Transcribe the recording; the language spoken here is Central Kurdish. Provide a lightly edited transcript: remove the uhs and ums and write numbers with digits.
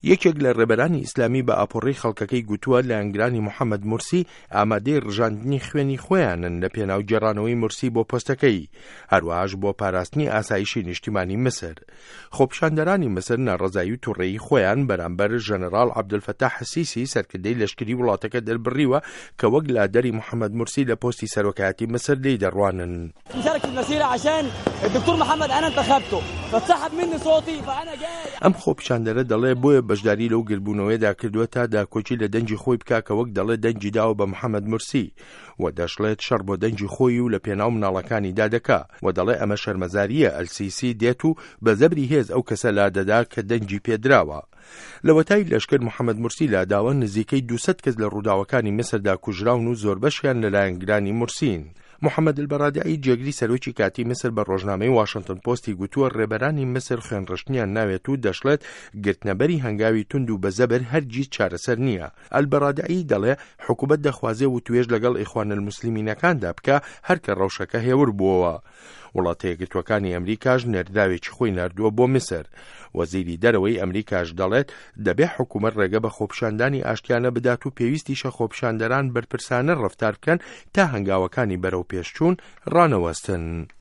یەکێک لە ڕێبەرانی ئیسلامی بە ئاپۆڕەی خەڵکەکەی گوتووە لایەنگرانی محەمەد مورسی ئامادەی ڕژاندنی خوێنی خۆیانن لە پێناو گێڕانەوەی مورسی بۆ پۆستەکەی، هەروەهاش بۆ پاراستنی ئاسایشی نیشتیمانی میسر. خۆپیشاندەرانی میسر ناڕەزایی و توڕەیی خۆیان بەرامبەر ژەنەراڵ عەبدولفەتاح سیسی سەرکردەی لەشکری وڵاتەکە دەربڕیوە کە وەک لادەری محەمەد مورسی لە پۆستی سەرۆکایەتی میسر لێی دەڕوانن. ئەم خۆپیشاندەرە دەڵێ بۆیە بەشداری لەو گردبوونەوەیەدا کردووە تا داکۆکی لە دەنگی خۆی بکا کە وەک دەڵێ دەنگی داوە بە محەمەد مورسی و دەشڵێت شەڕ بۆ دەنگی خۆی و لە پێناو مناڵەکانیدا دەکا و دەڵێ ئەمە شەرمەزارییە ئەلسیسی دێت و بە زەبری هێز ئەو کەسە لادەدا کە دەنگی پێدراوە. لەوەتای لەشکر محەمەد مورسی لاداوە، نزیکەی 200 کەس لە ڕووداوەکانی میسردا کوژراون و زۆربەشیان لە لایەنگرانی مورسین. محەمەد ئەلبەرادعی جێگری سەرۆکی کاتی میسر بە ڕۆژنامەی واشنتن پۆستی گوتووە ڕێبەرانی میسر خوێنڕشتنیان ناوێت و دەشڵێت گرتنەبەری هەنگاوی توند و بە زەبر هەرگیز چارەسەر نییە. ئەلبەرادعی دەڵێ حکومەت دەخوازێ وتوێژ لەگەڵ ئیخوانەلموسلمینەکاندا بکا هەر کە ڕەوشەکە هێور بووەوە. وڵاتە یەکگرتووەکانی ئەمریکاش نێردراوێکی خۆی ناردووە بۆ میسر. وەزیری دەرەوەی ئەمریکاش دەڵێت، دەبێ حکومەت ڕێگە بە خۆپیشاندانی ئاشتیانە بدات و پێویستیشە خۆپیشاندەران بەرپرسانە ڕەفتار بکەن تا هەنگاوەکانی بەرەوپێشچوون ڕانەوەستن.